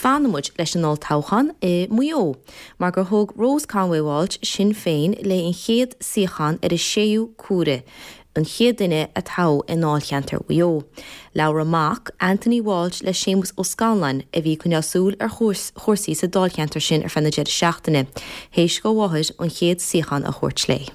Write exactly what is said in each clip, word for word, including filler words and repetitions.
Fanfaidh muid leis an olltoghchán i Maigh Eo, mar gur thóg Rose Conway Walsh Sinn Féin léi an chéad suíochán ar a séú cuairte. an chéad duine a toghadh i ndáilcheantar Mhaigh Eo. Labhair a mac Anthony Walsh le Séamus Ó Scanláin a bhí ag coinneáil súil ar chúrsaí sa dáilcheantar sin ar feadh na deireadh seachtaine, théis dá mháthair an chéad suíochán a thabhairt léi.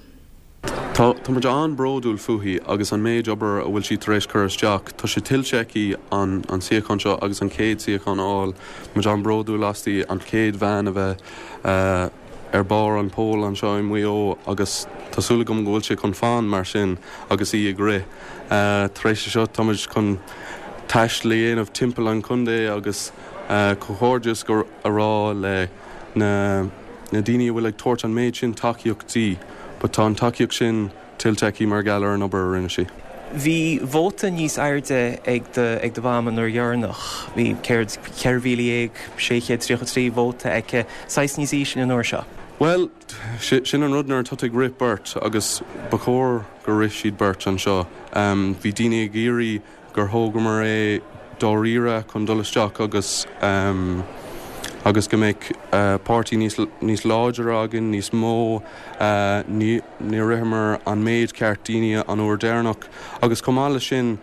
Tá muid an-bhródúil fúithi agus an méid obair a bhfuil sí tar éis cur isteach, Tá sé tuillte aici an an suíochán seo agus an chéad suíochán a fháil, muid an-bhródúil aisti an chéad bhean a bheith uh, ar barr an poll anseo i Maigh Eo agus tá súil agam go bhfuil sé chun fanacht mar sin agus í ag rith. Uh, tar éis seo táimid chun taisteal a dhéanamh timpeall an chontae agus uh, comhghairdeas go a rá le na, na daoine a bhfuil ag tabhairt an méid sin tacaíocht di, but tá an tacaíocht sin tuillte aici mar gheall ar an obair a rinne sí. Bhí vóta níos airde ag ag do mham an uair dheireanach, bhí ceithre mhíle dhéag sé chéad tríocha trí vóta aici saghas níos ísle an uair seo. Well sin an rud nuair atá ag rith beirt agus ba chóir gur rith siad beirt anseo. Um, bhí daoine ag iarraidh gur thógamar é dáiríre chun dul isteach agus um, agus go mbeidh uh, páirtí níos, níos láidre againn níos mó uh, ní, ní ritheamar an méid ceart daoine an uair dheireanach agus chomh maith leis sin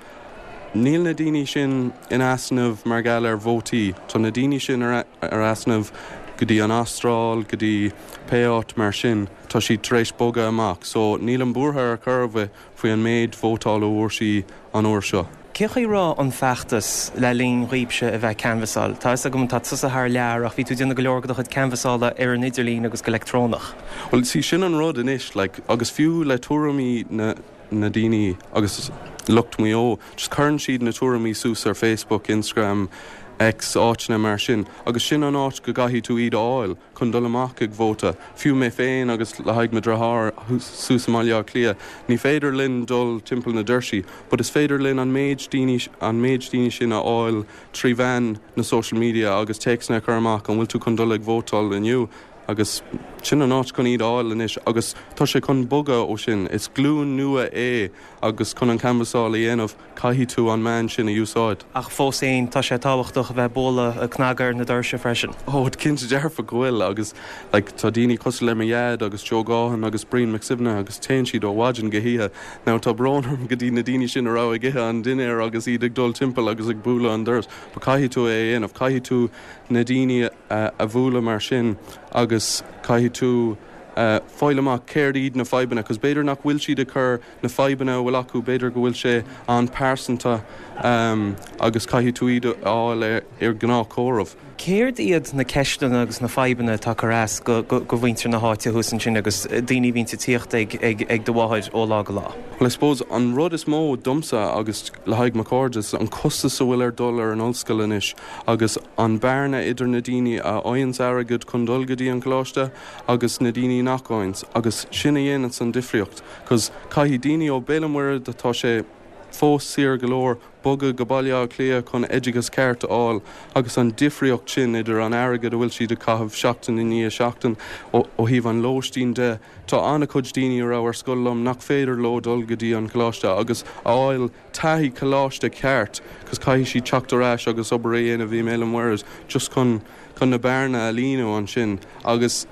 níl na daoine sin in easnamh mar gheall ar vótaí, Tá na daoine sin ar, ar easnamh go dtí an Astráil, go dtí pé áit mar sin, tá siad tar éis bogadh amach, so níl an buartha ar chor ar bith faoi an méid vótála a fuair sí an uair seo. Cé rá an feachtas le linn dhaoibhse a bheith canbhasáil. Tá agam tá tusa thar lear ach bhí tú déanamh go leor de do chuid canbhasála ar an idirlíon agus go leictreonach. Well sí sin an rud anois like, agus fiú le tuairimí na, na daoine agus lucht Mhaigh Eo, just cuireann siad na tuairimí suas ar Facebook, Instagram, X áiteanna mar sin, agus sin an áit go gcaithfidh tú iad a fháil chun dul amach ag vóta. Fiú mé féin agus le haghaidh mo dheartháir suas i mBaile Átha Cliath, ní féidir linn dul timpeall na doirsí, but is féidir linn an méid daoine an méid daoine sin a fháil trí mheán na social media agus téacs a chur amach an bhfuil tú chun dul ag vótáil inniu. agus sin an áit chun iad a fháil anois agus tá sé chun bogadh ó sin is glúin nua é agus chun an canbhasáil a dhéanamh caithfidh tú an meán sin a úsáid. Ach fós féin tá sé tábhachtach a bheith bualadh cnagar na doirse freisin. Ó cinnte dearfa go bhfuil agus like, tá daoine cosúil le mo dhaid agus Joe Gaughan agus Brian McSibna agus téann siad ó mhaidin go hoíche. Now tá brón orm go dtí na daoine sin a raibh ag ithe an dinnéar agus iad ag dul timpeall agus ag bualadh an doras, Ba caithfidh tú é a dhéanamh, caithfidh tú na daoine uh, a bhualadh mar sin agus caithfidh tú uh, fáil amach céard iad na fadhbanna, cos b'fhéidir nach bhfuil siad ag cur na fadhbanna a bhfuil acu b'fhéidir go bhfuil sé an-pearsanta um, agus caithfidh tú iad a fháil ar, ar ghnáthchomhrá. Céard iad na ceisteanna agus na fadhbanna atá ag cur as go, go, go mhuintir na háite thuas ansin agus daoine a bhíonn ag tíocht ag, ag, ag do mháthair ó lá go lá. Well, I suppose an rud is mó domsa agus le haghaidh mo chairde an costas a bhfuil ar dul ar an ollscoil anois agus an bearna idir na daoine a fhaigheann airgead chun dul go dtí an coláiste agus na daoine nach bhfaigheann agus sin a dhéanann an difríocht, cos caithfidh daoine ó Béal an Mhuirthead atá sé fós saor go leor bogadh go Baile Átha Cliath chun oideachas ceart a fháil agus an difríocht sin idir an airgead a bhfuil siad ag caitheamh seachtain i ndiaidh seachtain ó thaobh an lóistín de tá an-chuid daoine a raibh ar scoil liom nach féidir leo dul go dtí an coláiste agus fháil taithí coláiste ceart, cos caithfidh siad teacht ar ais agus obair a dhéanamh i mBéal an Mhuirthead just chun chun na bearna a líonadh ansin agus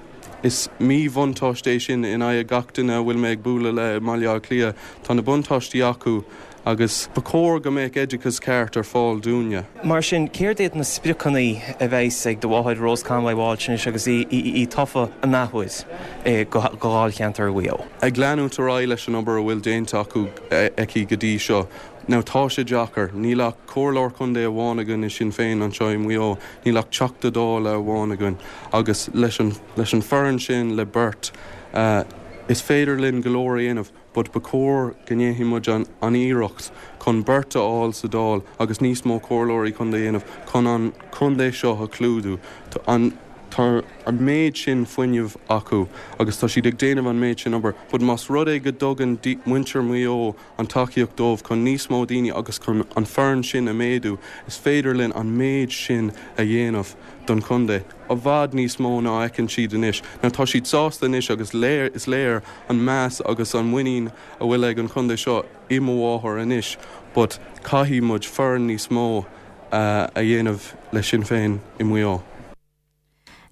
is míbhuntáiste é sin in aghaidh gach duine a bhfuil mé ag bualadh le Baile Átha Cliath tá na buntáistí acu agus ba chóir go mbeadh oideachas ceart ar fáil dúinne. Mar sin céard iad na spriocanna a bheas ag do mháthair Rose Conway Walsh agus í, í, í tofa an athuair go dáilcheantar Mhaigh Eo. Ag leanúint ar aghaidh leis an obair a bhfuil déanta acu aici go dtí seo. Now tá sé deacair, níl ach comhairleoir contae amháin againn i Sinn Féin anseo i Maigh Eo, níl ach Teachta Dála amháin againn agus leis an, leis an foireann sin le beirt uh, is féidir linn go leor a dhéanamh, but ba chóir go ndéanfaidh muid an, an iarracht chun beirt a fháil sa Dáil agus níos mó comhairleoirí chun dhéanamh chun an contae seo a chlúdú. An Tá an méid sin fuinnimh acu agus tá siad ag déanamh an méid sin obair, but más rud é go dtugann muintir Mhaigh Eo an tacaíocht dóibh chun níos mó daoine agus chun an foireann sin a méadú, is féidir linn an méid sin a dhéanamh don chontae. I bhfad níos mó ná fheiceann siad anois. Now tá siad sásta anois agus léir is léir an meas agus an muinín a bhfuil ag an chontae seo i mo mháthair anois, but caithfidh muid foireann níos mó a dhéanamh le Sinn Féin i Maigh Eo.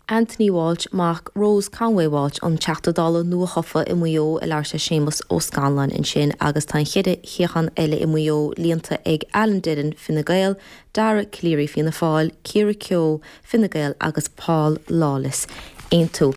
Anthony Walsh mac Rose Conway Walsh an Teachta Dála nuathofa i Maigh Eo ag labhairt le Séamus Ó Scanláin ansin agus tá an cheithre shuíochán eile i Maigh Eo líonta ag Alan Dillon Fine Gael, Dara Calleary Fianna Fáil, Ciara Keogh Fine Gael agus Paul Lawless Aontú.